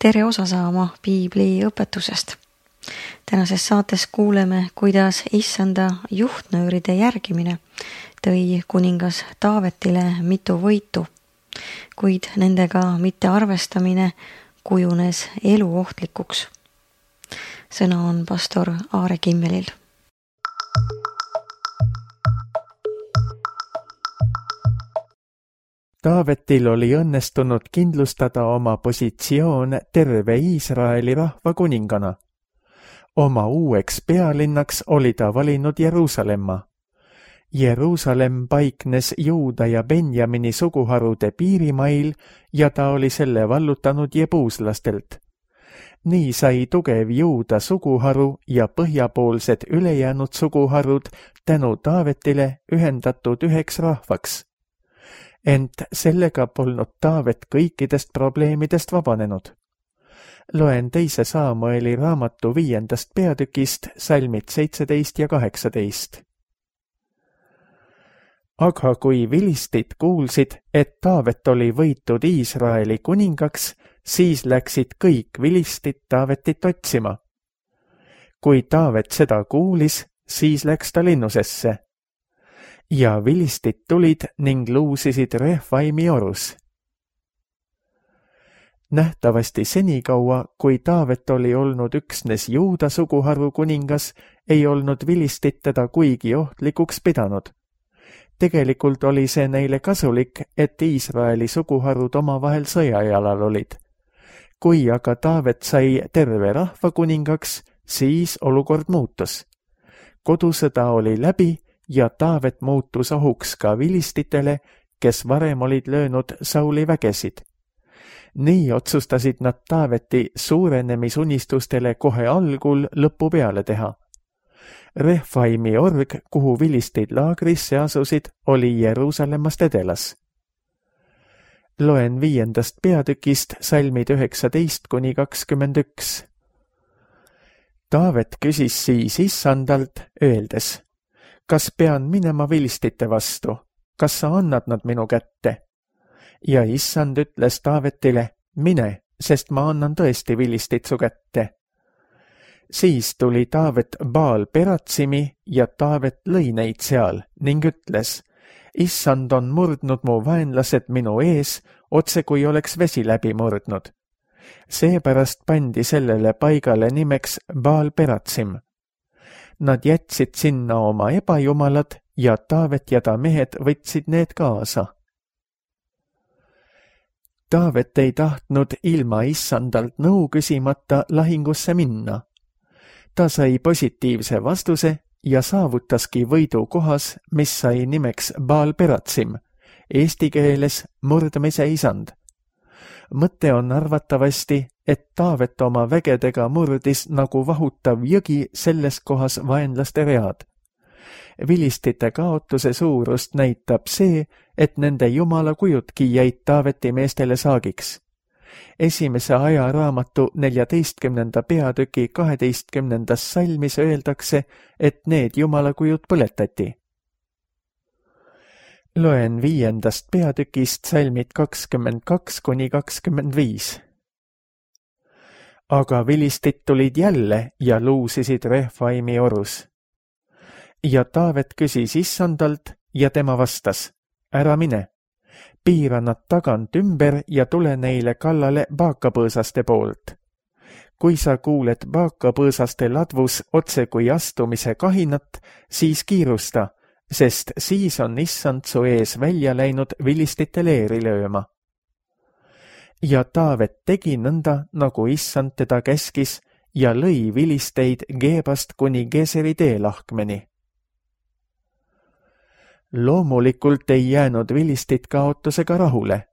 tere osa saama piibli õpetusest. Tänases saates kuuleme, kuidas issanda juhtnööride järgimine tõi kuningas Taavetile mitu võitu, kuid nendega mitte arvestamine kujunes eluohtlikuks. Sõna on pastor Aare Kimmelil. Taavetil oli õnnestunud kindlustada oma positsioon terve Iisraeli rahva kuningana. Oma uueks pealinnaks oli ta valinud Jeruusalemma. Jeruusalemm paiknes Juuda ja Benjamini suguharude piirimail ja ta oli selle vallutanud jebuuslastelt. Nii sai tugev Juuda suguharu ja põhjapoolsed ülejäänud suguharud tänu Taavetile ühendatud üheks rahvaks. Ent sellega polnud Taavet kõikidest probleemidest vabanenud. Loen 2. Saamueli raamatu 5. peatükist salmid 17 ja 18. Aga kui vilistid kuulsid, et Taavet oli võitud Iisraeli kuningaks, siis läksid kõik vilistid Taavetit otsima. Kui Taavet seda kuulis, siis läks ta linnusesse. Ja vilistid tulid ning luusisid Refaimi orus. Nähtavasti senikaua, kui Taavet oli olnud üksnes Juuda suguharu kuningas, ei olnud vilistid teda kuigi ohtlikuks pidanud. Tegelikult oli see neile kasulik, et Iisraeli suguharud omavahel sõjajalal olid. Kui aga Taavet sai terve rahva kuningaks, siis olukord muutus. Kodusõda oli läbi ja Taavet muutus ohuks ka vilistitele, kes varem olid löönud Sauli vägesid. Nii otsustasid nad Taaveti suurenemisunistustele kohe algul lõpu peale teha. Refaimi org, kuhu vilistid laagrisse asusid, oli Jeruusalemmast edelas. Loen 5. peatükist salmid 19-21. Taavet küsis siis issandalt, öeldes: kas pean minema vilistite vastu? Kas sa annad nad minu kätte? Ja issand ütles Taavetile: mine, sest ma annan tõesti vilistid su kätte. Siis tuli Taavet Baal Peratsimi ja Taavet lõi neid seal ning ütles: issand on murdnud mu vaenlased minu ees, otse kui oleks vesi läbi murdnud. Seepärast pandi sellele paigale nimeks Baal Peratsim. Nad jätsid sinna oma ebajumalad ja Taavet ja ta mehed võtsid need kaasa. Taavet ei tahtnud ilma issandalt nõu küsimata lahingusse minna. Ta sai positiivse vastuse ja saavutaski võidu kohas, mis sai nimeks Baal Peratsim, eesti keeles murdmise isand. Mõte on arvatavasti, et Taavet oma vägedega murdis nagu vahutav jõgi selles kohas vaenlaste read. Vilistite kaotuse suurust näitab see, et nende jumalakujudki jäid Taaveti meestele saagiks. Esimese ajaraamatu 14. peatüki 12. salmis öeldakse, et need jumalakujud põletati. Loen 5. peatükist salmid 22-25. Aga vilistid tulid jälle ja luusisid Refaimi orus. Ja Taavet küsis issandalt ja tema vastas: ära mine, piira nad tagant ümber ja tule neile kallale baakapõõsaste poolt. Kui sa kuuled baakapõõsaste ladvus otse kui astumise kahinat, siis kiirusta, sest siis on issand su ees välja läinud vilistite leeri lööma. Ja Taavet tegi nõnda, nagu issand teda käskis, ja lõi vilisteid Geebast kuni Geseri teelahkmeni. Loomulikult ei jäänud vilistid kaotusega rahule.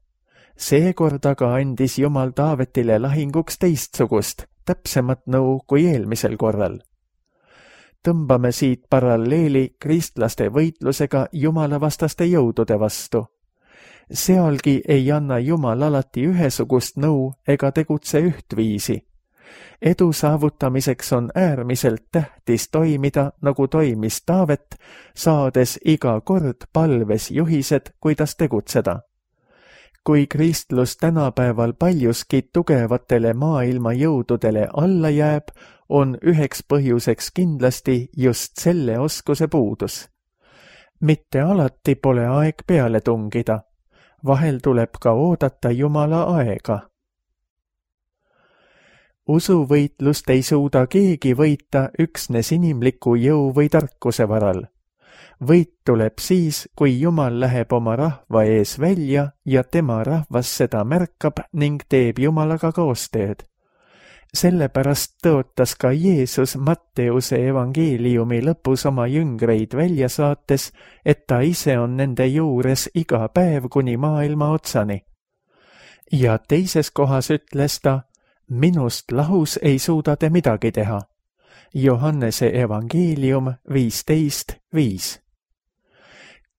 Seekord aga andis Jumal Taavetile lahinguks teistsugust, täpsemat nõu kui eelmisel korral. Tõmbame siit paralleeli kristlaste võitlusega jumalavastaste jõudude vastu. Sealgi ei anna Jumal alati ühesugust nõu ega tegutse ühtviisi. Edu saavutamiseks on äärmiselt tähtis toimida, nagu toimis Taavet, saades iga kord palves juhised, kuidas tegutseda. kui kristlus tänapäeval paljuski tugevatele maailma jõududele alla jääb, on üheks põhjuseks kindlasti just selle oskuse puudus. Mitte alati pole aeg peale tungida, vahel tuleb ka oodata Jumala aega. Usuvõitlust ei suuda keegi võita üksnes inimliku jõu või tarkuse varal. Võit tuleb siis, kui Jumal läheb oma rahva ees välja ja tema rahvas seda märkab ning teeb Jumalaga koostööd. Sellepärast tõotas ka Jeesus Matteuse evangeeliumi lõpus oma jüngreid välja saates, et ta ise on nende juures iga päev kuni maailma otsani. Ja teises kohas ütles ta, minust lahus ei suuda te midagi teha. Johannese evangeelium 15:5.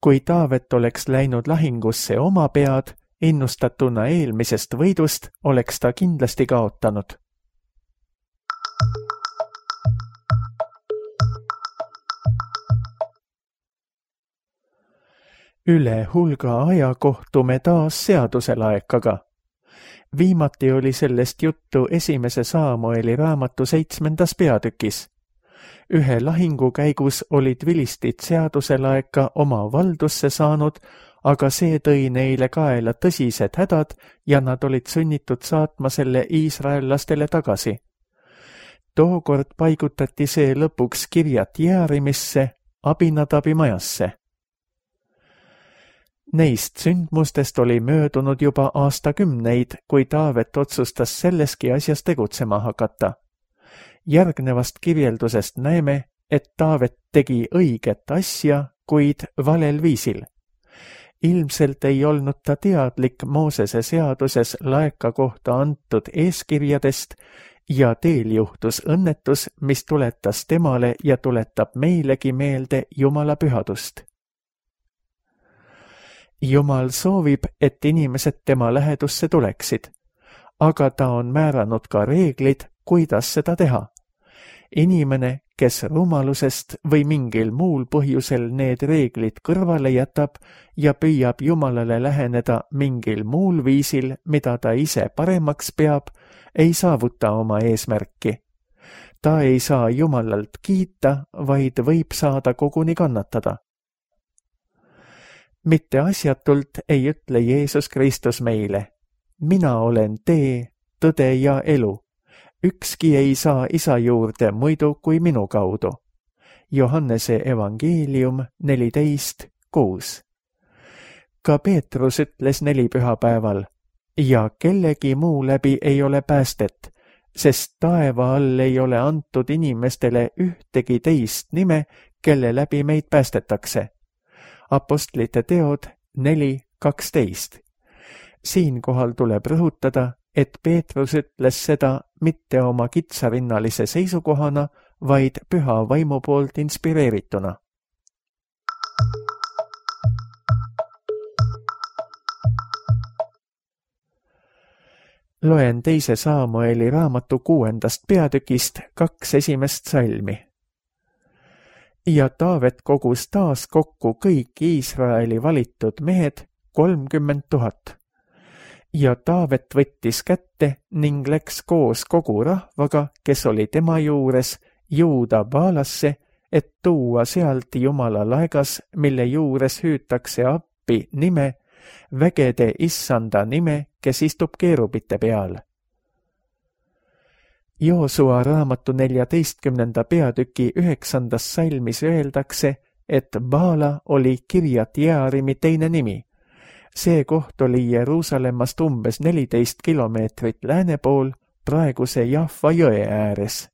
Kui Taavet oleks läinud lahingusse oma pead, innustatuna eelmisest võidust, oleks ta kindlasti kaotanud. Üle hulga aja kohtume taas seaduselaekaga. Viimati oli sellest juttu 1. Saamueli raamatu 7. peatükis. Ühe lahingu käigus olid vilistid seaduselaeka oma valdusse saanud, aga see tõi neile kaela tõsised hädad ja nad olid sunnitud saatma selle iisraellastele tagasi. Tookord paigutati see lõpuks Kirjat Jearimisse, Abinadabi majasse. Neist sündmustest oli möödunud juba aastakümneid, kui Taavet otsustas selleski asjas tegutsema hakata. Järgnevast kirjeldusest näeme, et Taavet tegi õiget asja, kuid valel viisil. Ilmselt ei olnud ta teadlik Moosese seaduses laeka kohta antud eeskirjadest ja teel juhtus õnnetus, mis tuletas temale ja tuletab meilegi meelde Jumala pühadust. Jumal soovib, et inimesed tema lähedusse tuleksid, aga ta on määranud ka reeglid, kuidas seda teha. Inimene, kes rumalusest või mingil muul põhjusel need reeglid kõrvale jätab ja püüab Jumalale läheneda mingil muul viisil, mida ta ise paremaks peab, ei saavuta oma eesmärki. Ta ei saa Jumalalt kiita, vaid võib saada koguni kannatada. Mitte asjatult ei ütle Jeesus Kristus meile, mina olen tee, tõde ja elu. Ükski ei saa isa juurde muidu kui minu kaudu. Johannese evangeelium 14:6. Ka Peetrus ütles nelipühapäeval, ja kellegi muu läbi ei ole päästet, sest taeva all ei ole antud inimestele ühtegi teist nime, kelle läbi meid päästetakse. Apostlite teod 4:12. Siinkohal tuleb rõhutada, et Peetrus ütles seda mitte oma kitsarinnalise seisukohana, vaid püha vaimu poolt inspireerituna. Loen 2. Saamueli raamatu 6. peatükist 2 esimest salmi. Ja Taavet kogus taas kokku kõik Iisraeli valitud mehed 30 000. Ja Taavet võttis kätte ning läks koos kogu rahvaga, kes oli tema juures, Juuda Baalasse, et tuua sealt Jumala laegas, mille juures hüütakse appi nime, vägede issanda nime, kes istub keerubite peal. Joosua raamatu 14. peatüki 9. salmis öeldakse, et Baala oli Kirjat Jearimi teine nimi. See koht oli Jeruusalemmast umbes 14 kilomeetrit lääne pool, praeguse Jaffa jõe ääres.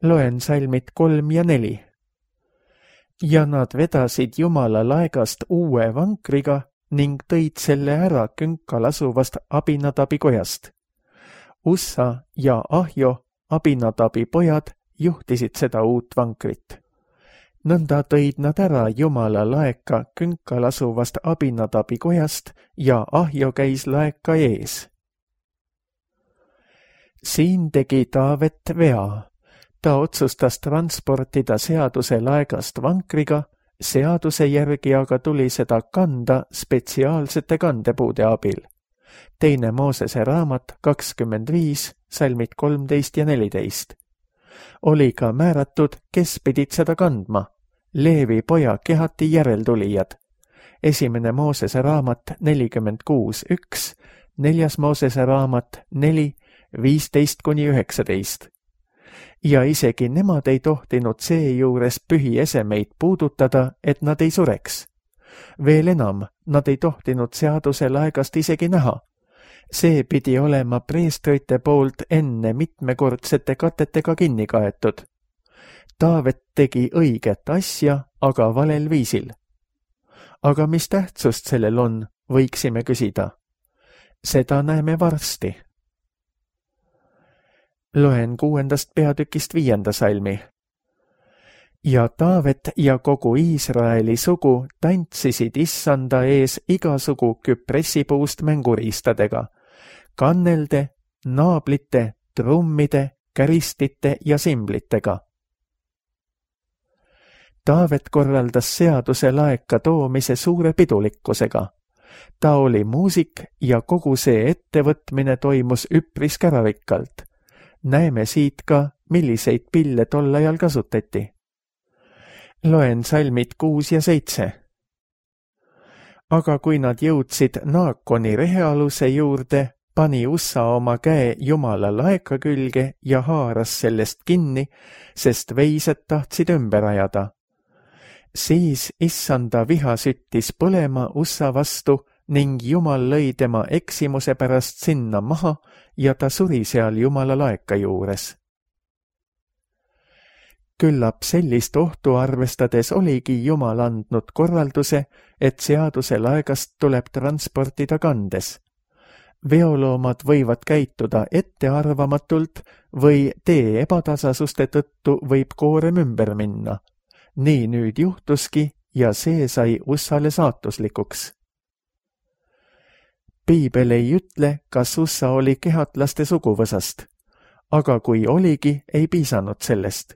Loen salmid 3 ja 4. Ja nad vedasid Jumala laegast uue vankriga ning tõid selle ära künkal asuvast Abinadabi kojast. Ussa ja Ahjo, Abinadabi pojad, juhtisid seda uut vankrit. Nõnda tõid nad ära Jumala laeka künkal asuvast Abinadabi kojast ja Ahjo käis laeka ees. Siin tegi Taavet vea. Ta otsustas transportida seaduse laegast vankriga, Seaduse järgi aga tuli seda kanda spetsiaalsete kandepuude abil. 2. Moosese raamat 25, salmid 13 ja 14. Oli ka määratud, kes pidid seda kandma. Leevi poja Kehati järeltulijad. 1. Moosese raamat 46.1, 4. Moosese raamat 4, 15-19. Ja isegi nemad ei tohtinud seejuures pühiesemeid puudutada, et nad ei sureks. Veel enam, nad ei tohtinud seaduse laegast isegi näha. See pidi olema preestrite poolt enne mitmekordsete katetega kinni kaetud. Taavet tegi õiget asja, aga valel viisil. Aga mis tähtsust sellel on, võiksime küsida. Seda näeme varsti. Loen 6. peatükist 5. salmi. Ja Taavet ja kogu Iisraeli sugu tantsisid Issanda ees igasugu küpressipuust mänguriistadega, kannelde, naablite, trummide, käristite ja simblitega. Taavet korraldas seaduse laeka toomise suure pidulikkusega. Ta oli muusik ja kogu see ettevõtmine toimus üpris käravikkalt. Näeme siit ka, milliseid pille tol ajal kasutati. Loen salmid 6 ja 7. Aga kui nad jõudsid Naakoni rehealuse juurde, pani Ussa oma käe Jumala laeka külge ja haaras sellest kinni, sest veised tahtsid ümber ajada. Siis Issanda viha süttis põlema Ussa vastu ning Jumal lõi tema eksimuse pärast sinna maha ja ta suri seal Jumala laeka juures. Küllap sellist ohtu arvestades oligi Jumal andnud korralduse, et seaduse laegast tuleb transportida kandes. Veoloomad võivad käituda ettearvamatult või tee ebatasasuste tõttu võib koorem ümber minna. Nii nüüd juhtuski ja see sai Ussale saatuslikuks. Piibel ei ütle, kas Ussa oli kehatlaste suguvõsast, aga kui oligi, ei piisanud sellest.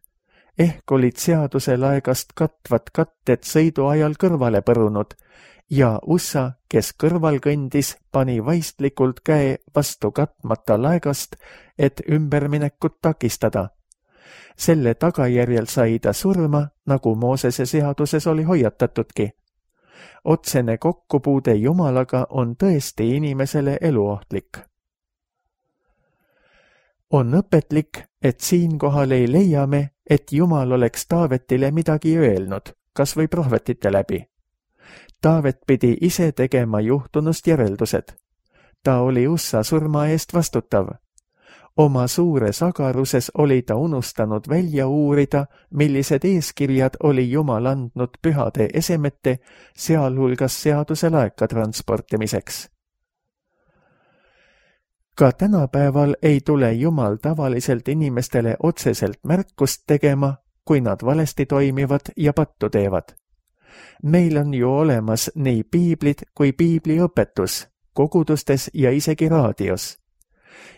Ehk olid seaduse laegast katvad katted sõidu ajal kõrvale põrunud ja Ussa, kes kõrval kõndis, pani vaistlikult käe vastu katmata laegast, et ümberminekut takistada. Selle tagajärjel sai ta surma, nagu Moosese seaduses oli hoiatatudki. Otsene kokkupuude Jumalaga on tõesti inimesele eluohtlik. On õpetlik, et siinkohal ei leia me, et Jumal oleks Taavetile midagi öelnud, kas või prohvetite läbi. Taavet pidi ise tegema juhtunust järeldused. Ta oli Ussa surma eest vastutav. Oma suures agaruses oli ta unustanud välja uurida, millised eeskirjad oli Jumal andnud pühade esemete, sealhulgas seaduse laeka transportimiseks. Ka tänapäeval ei tule Jumal tavaliselt inimestele otseselt märkust tegema, kui nad valesti toimivad ja pattu teevad. Meil on ju olemas nii piiblid kui piibliõpetus, kogudustes ja isegi raadios.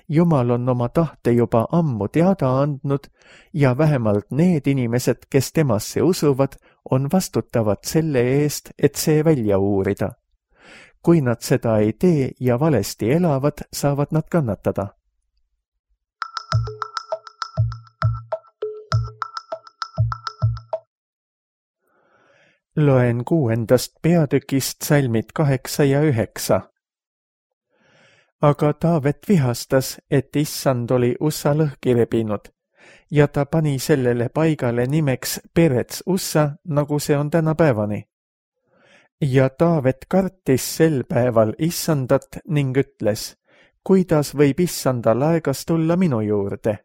Jumal on oma tahte juba ammu teada andnud ja vähemalt need inimesed, kes temasse usuvad, on vastutavad selle eest, et see välja uurida. Kui nad seda ei tee ja valesti elavad, saavad nad kannatada. Loen 6. peatükist salmid 8 ja 9. Aga Taavet vihastas, et Issand oli Ussa lõhki rebinud ja ta pani sellele paigale nimeks Perets Ussa, nagu see on tänapäevani. Ja Taavet kartis sel päeval Issandat ning ütles, kuidas võib Issanda laegas tulla minu juurde.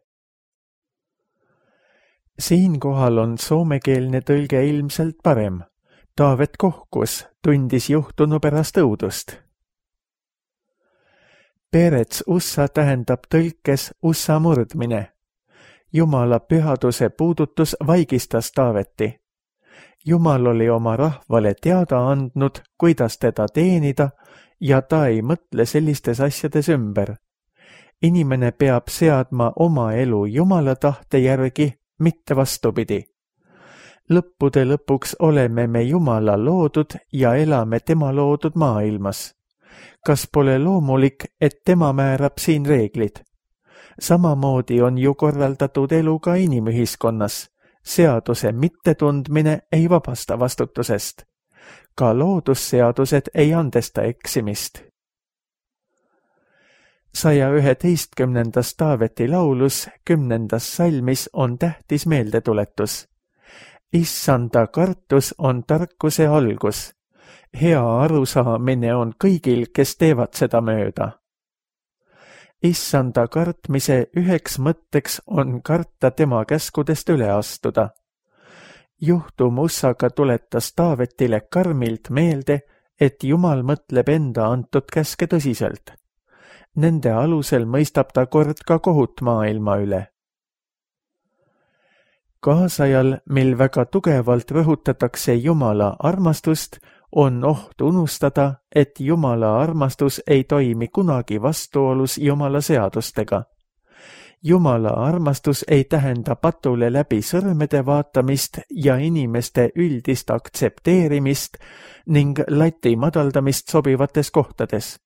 Siinkohal on soomekeelne tõlge ilmselt parem. Taavet kohkus, tundis juhtunu pärast õudust. Perets Ussa tähendab tõlkes Ussa murdmine. Jumala pühaduse puudutus vaigistas Taaveti. Jumal oli oma rahvale teada andnud, kuidas teda teenida ja ta ei mõtle sellistes asjades ümber. Inimene peab seadma oma elu Jumala tahte järgi, mitte vastupidi. Lõppude lõpuks oleme me Jumala loodud ja elame tema loodud maailmas. Kas pole loomulik, et tema määrab siin reeglid? Samamoodi on ju korraldatud elu ka inimühiskonnas. Seaduse mittetundmine ei vabasta vastutusest. Ka loodusseadused ei andesta eksimist. 111. Taaveti laulus 10. salmis on tähtis meeldetuletus. Issanda kartus on tarkuse algus. Hea arusaamine on kõigil, kes teevad seda mööda. Issanda kartmise üheks mõtteks on karta tema käskudest üle astuda. Juhtum Ussaga tuletas Taavetile karmilt meelde, et Jumal mõtleb enda antud käske tõsiselt. Nende alusel mõistab ta kord ka kohut maailma üle. Kaasajal, mil väga tugevalt rõhutatakse Jumala armastust, on oht unustada, et Jumala armastus ei toimi kunagi vastuolus Jumala seadustega. Jumala armastus ei tähenda patule läbi sõrmede vaatamist ja inimeste üldist aktsepteerimist ning lati madaldamist sobivates kohtades.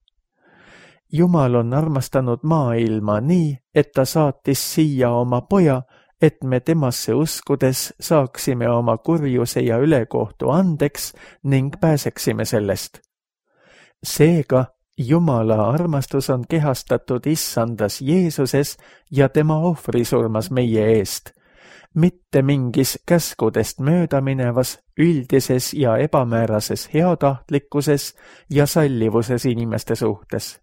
Jumal on armastanud maailma nii, et ta saatis siia oma poja, et me temasse uskudes saaksime oma kurjuse ja ülekohtu andeks ning pääseksime sellest. Seega, Jumala armastus on kehastatud Issandas Jeesuses ja tema ohvrisurmas meie eest, mitte mingis käskudest möödaminevas, üldises ja ebamäärases heatahtlikkuses ja sallivuses inimeste suhtes.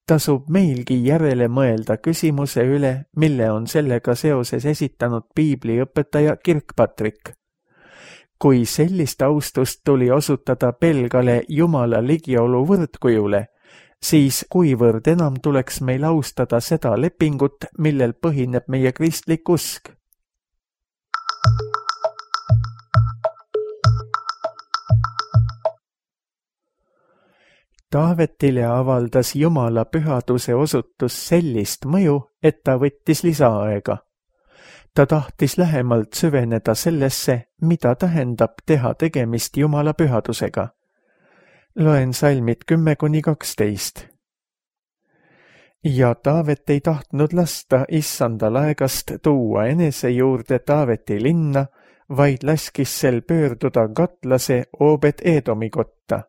Tasub meilgi järele mõelda küsimuse üle, mille on sellega seoses esitanud piibliõpetaja Kirkpatrick. Kui sellist austust tuli osutada pelgale Jumala ligiolu võrdkujule, siis kuivõrd enam tuleks meil austada seda lepingut, millel põhineb meie kristlik usk. Taavetile avaldas Jumala pühaduse osutus sellist mõju, et ta võttis lisaaega. Ta tahtis lähemalt süveneda sellesse, mida tähendab teha tegemist Jumala pühadusega. Loen salmid 10-12. Ja Taavet ei tahtnud lasta Issanda laegast tuua enese juurde Taaveti linna, vaid laskis sel pöörduda katlase Obed-Edomi kotta.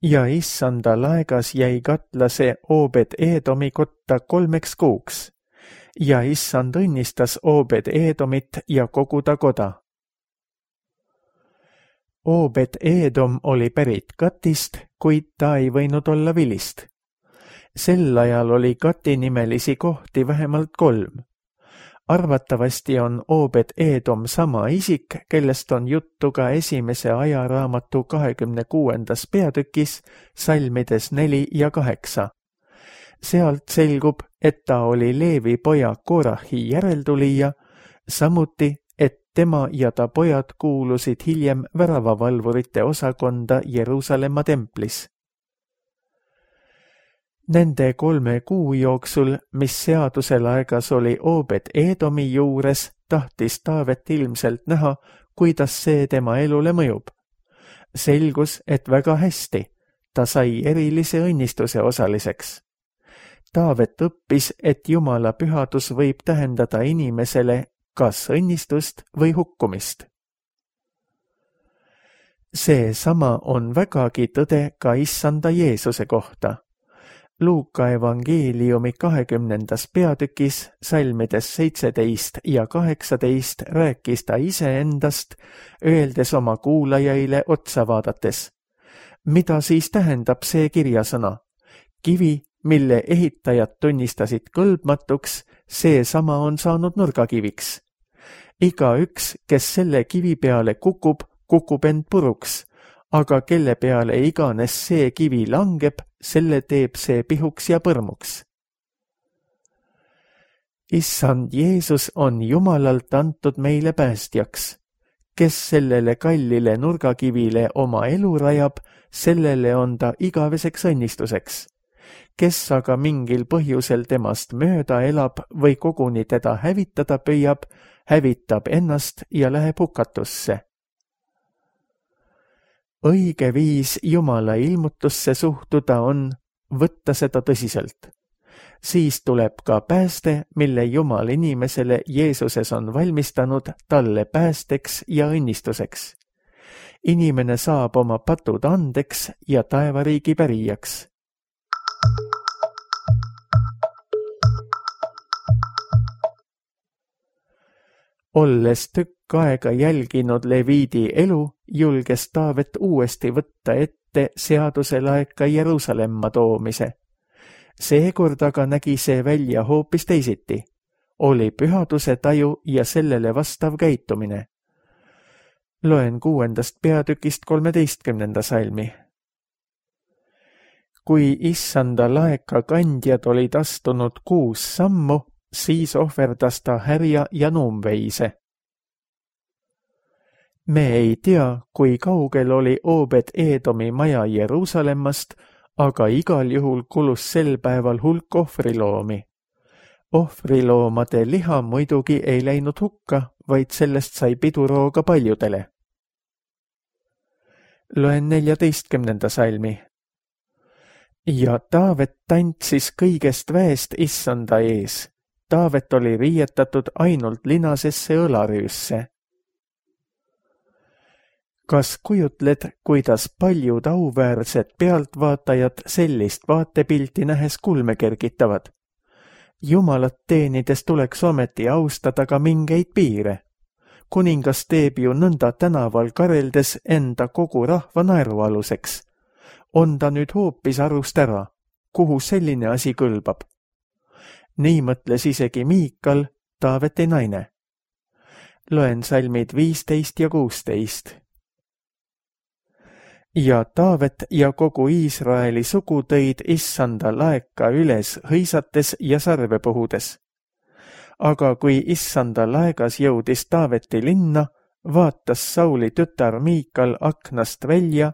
Ja Issanda laegas jäi katlase Obed-Edomi kotta 3 kuuks. Ja Issand õnnistas Obed-Edomit ja kogu ta koda. Obed-Edom oli pärit Gatist, kuid ta ei võinud olla vilist. Sel ajal oli Gati nimelisi kohti vähemalt 3. Arvatavasti on Obed-Edom sama isik, kellest on juttu ka esimese ajaraamatu 26. peatükis, salmides 4 ja 8. Sealt selgub, et ta oli Leevi poja Korahi järeltulija, samuti, et tema ja ta pojad kuulusid hiljem väravavalvurite osakonda Jeruusalemma templis. Nende 3 kuu jooksul, mis seaduse laegas oli Obed-Edomi juures, tahtis Taavet ilmselt näha, kuidas see tema elule mõjub. Selgus, et väga hästi, ta sai erilise õnnistuse osaliseks. Taavet õppis, et Jumala pühadus võib tähendada inimesele kas õnnistust või hukkumist. Seesama on vägagi tõde ka Issanda Jeesuse kohta. Luuka evangeeliumi 20. peatükis, salmides 17 ja 18 rääkis ta iseendast, öeldes oma kuulajaile otsa vaadates. Mida siis tähendab see kirjasõna? Kivi, mille ehitajad tunnistasid kõlbmatuks, seesama on saanud nurgakiviks. Igaüks, kes selle kivi peale kukub, kukub end puruks, aga kelle peale iganes see kivi langeb, selle teeb see pihuks ja põrmuks. Issand Jeesus on Jumalalt antud meile päästjaks. Kes sellele kallile nurgakivile oma elu rajab, sellele on ta igaveseks õnnistuseks. Kes aga mingil põhjusel temast mööda elab või koguni teda hävitada püüab, hävitab ennast ja läheb hukatusse. Õige viis Jumala ilmutusse suhtuda on võtta seda tõsiselt. Siis tuleb ka pääste, mille Jumal inimesele Jeesuses on valmistanud talle päästeks ja õnnistuseks. Inimene saab oma patud andeks ja taevariigi pärijaks. Olles tükk aega jälginud Leviidi elu, julges Taavet uuesti võtta ette seaduse laeka Jeruusalemma toomise. Seekord aga nägi see välja hoopis teisiti. Oli pühaduse taju ja sellele vastav käitumine. Loen 6. peatükist 13. salmi. Kui issanda laeka kandjad olid astunud 6 sammu, siis ohverdas ta härja ja nuumveise. Me ei tea, kui kaugel oli Obed-Edomi maja Jeruusalemmast, aga igal juhul kulus sel päeval hulk ohvriloomi. Ohvriloomade liha muidugi ei läinud hukka, vaid sellest sai pidurooga paljudele. Loen 14. salmi. Ja Taavet tantsis kõigest väest issanda ees. Taavet oli riietatud ainult linasesse õlarüüsse. Kas kujutled, kuidas paljud auväärsed pealtvaatajad sellist vaatepilti nähes kulme kergitavad? Jumalat teenides tuleks ometi austada ka mingeid piire. Kuningas teeb ju nõnda tänaval kareldes enda kogu rahva naerualuseks. On ta nüüd hoopis arust ära, kuhu selline asi kõlbab? Nii mõtles isegi Miikal, Taaveti naine. Loen salmid 15 ja 16. Ja Taavet ja kogu Iisraeli sugu tõid issanda laeka üles hõisates ja sarve puhudes. Aga kui issanda laegas jõudis Taaveti linna, vaatas Sauli tütar Miikal aknast välja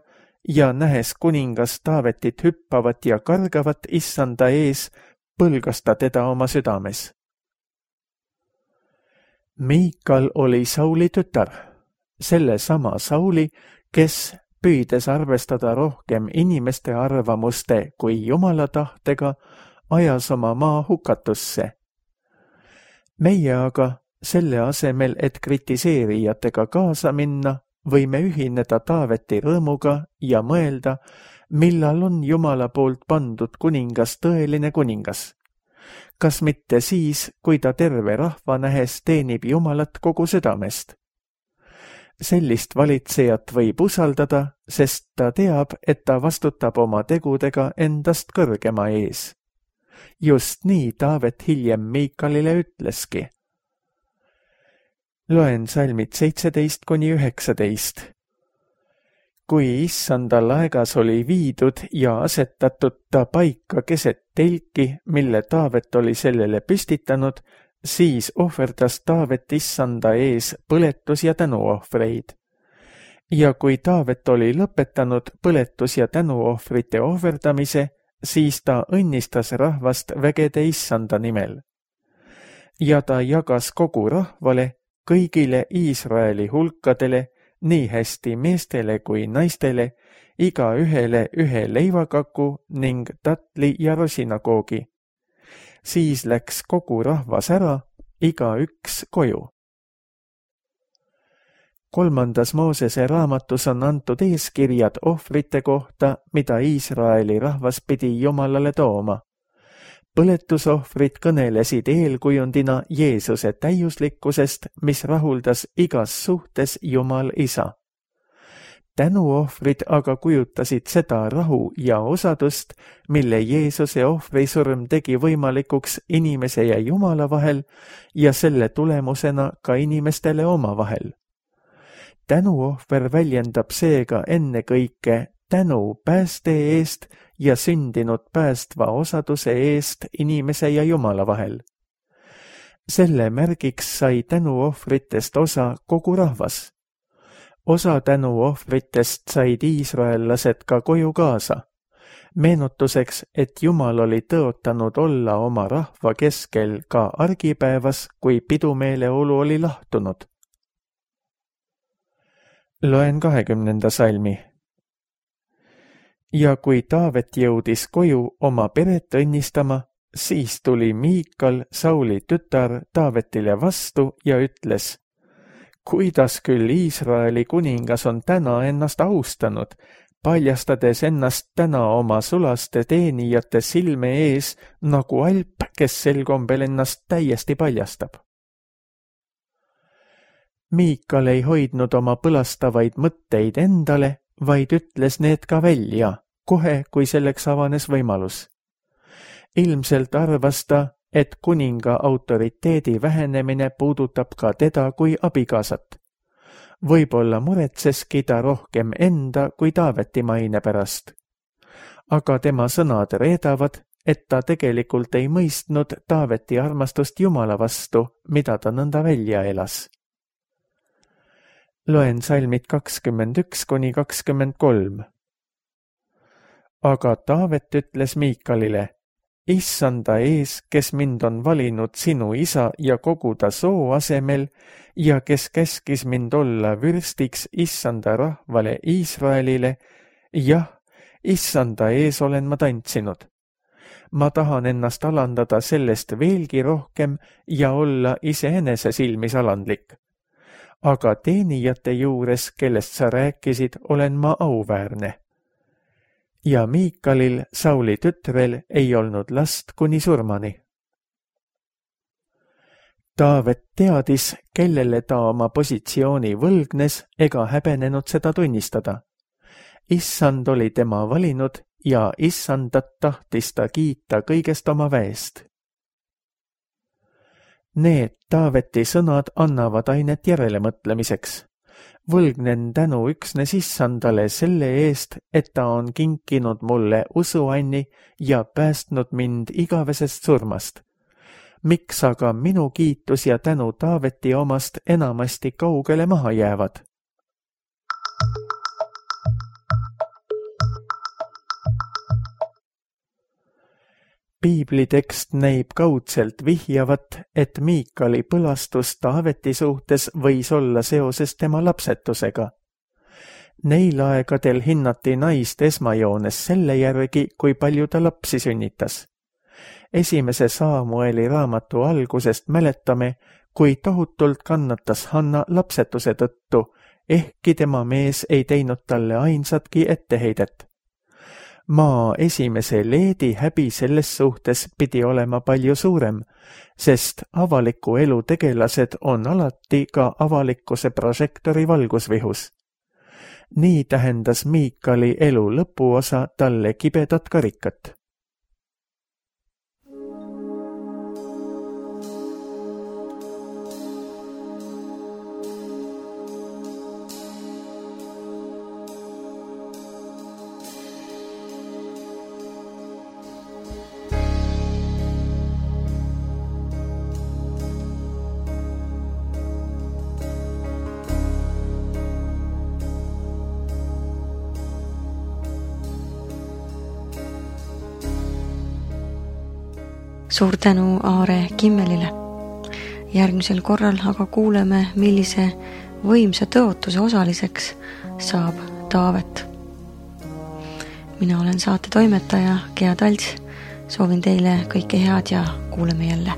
ja nähes kuningas Taavetit hüppavat ja kargavat issanda ees, põlgas ta teda oma südames. Miikal oli Sauli tütar, selle sama Sauli, kes püüdes arvestada rohkem inimeste arvamuste kui Jumala tahtega, ajas oma maa hukatusse. Meie aga selle asemel, et kritiseerijatega kaasa minna, võime ühineda Taaveti rõõmuga ja mõelda, millal on Jumala poolt pandud kuningas tõeline kuningas. Kas mitte siis, kui ta terve rahva nähes teenib Jumalat kogu südamest? Sellist valitsejat võib usaldada, sest ta teab, et ta vastutab oma tegudega endast kõrgema ees. Just nii Taavet hiljem Miikalile ütleski. Loen salmid 17–19. Kui issanda laegas oli viidud ja asetatud ta paika keset telki, mille Taavet oli sellele püstitanud, siis ohverdas Taavet issanda ees põletus- ja tänuohvreid. Ja kui Taavet oli lõpetanud põletus- ja tänuohvrite ohverdamise, siis ta õnnistas rahvast vägede issanda nimel. Ja ta jagas kogu rahvale, kõigile Iisraeli hulkadele, nii hästi meestele kui naistele, iga ühele ühe leivakaku ning tatli ja rosinakoogi. Siis läks kogu rahvas ära, iga üks koju. 3. Moosese raamatus on antud eeskirjad ohvrite kohta, mida Iisraeli rahvas pidi Jumalale tooma. Põletusohvrid kõnelesid eelkujundina Jeesuse täiuslikkusest, mis rahuldas igas suhtes Jumal Isa. Tänuohvrid aga kujutasid seda rahu ja osadust, mille Jeesuse ohvrisurm tegi võimalikuks inimese ja Jumala vahel ja selle tulemusena ka inimestele omavahel. Tänuohver väljendab seega ennekõike tänu pääste eest ja sündinud päästva osaduse eest inimese ja Jumala vahel. Selle märgiks sai tänuohvritest osa kogu rahvas. Osa tänuohvritest said iisraellased ka koju kaasa. Meenutuseks, et Jumal oli tõotanud olla oma rahva keskel ka argipäevas, kui pidumeeleolu oli lahtunud. Loen 20. salmi. Ja kui Taavet jõudis koju oma peret õnnistama, siis tuli Miikal, Sauli tütar, Taavetile vastu ja ütles: kuidas küll Iisraeli kuningas on täna ennast austanud, paljastades ennast täna oma sulaste teenijate silme ees nagu alp, kes sel kombel ennast täiesti paljastab. Miikal ei hoidnud oma põlastavaid mõtteid endale, vaid ütles need ka välja, kohe kui selleks avanes võimalus. Ilmselt arvas ta, et kuninga autoriteedi vähenemine puudutab ka teda kui abikaasat. Võib-olla muretseski ta rohkem enda kui Taaveti maine pärast. Aga tema sõnad reedavad, et ta tegelikult ei mõistnud Taaveti armastust Jumala vastu, mida ta nõnda välja elas. Loen salmid 21–23. Aga Taavet ütles Miikalile: Issanda ees, kes mind on valinud sinu isa ja kogu ta soo asemel ja kes käskis mind olla vürstiks Issanda rahvale Iisraelile, jah, Issanda ees olen ma tantsinud. Ma tahan ennast alandada sellest veelgi rohkem ja olla iseenese silmis alandlik. Aga teenijate juures, kellest sa rääkisid, olen ma auväärne. Ja Miikalil, Sauli tütrel, ei olnud last kuni surmani. Taavet teadis, kellele ta oma positsiooni võlgnes ega häbenenud seda tunnistada. Issand oli tema valinud ja Issandat tahtis ta kiita kõigest oma väest. Need Taaveti sõnad annavad ainet järelemõtlemiseks. Võlgnen tänu üksnes Issandale selle eest, et ta on kinkinud mulle usuanni ja päästnud mind igavesest surmast. Miks aga minu kiitus ja tänu Taaveti omast enamasti kaugele maha jäävad? Piiblitekst näib kaudselt vihjavat, et Miikali põlastus Taaveti suhtes võis olla seoses tema lapsetusega. Neil aegadel hinnati naist esmajoones selle järgi, kui palju ta lapsi sünnitas. Esimese Saamueli raamatu algusest mäletame, kui tohutult kannatas Hanna lapsetuse tõttu, ehkki tema mees ei teinud talle ainsatki etteheidet. Maa esimese Leedi häbi selles suhtes pidi olema palju suurem, sest avaliku elu tegelased on alati ka avalikkuse prožektori valgusvihus. Nii tähendas Miikali elu lõpuosa talle kibedat karikat. Suur tänu Aare Kimmelile. Järgmisel korral aga kuuleme, millise võimsa tõotuse osaliseks saab Taavet. Mina olen saate toimetaja Gea Talts. Soovin teile kõike head ja kuuleme jälle.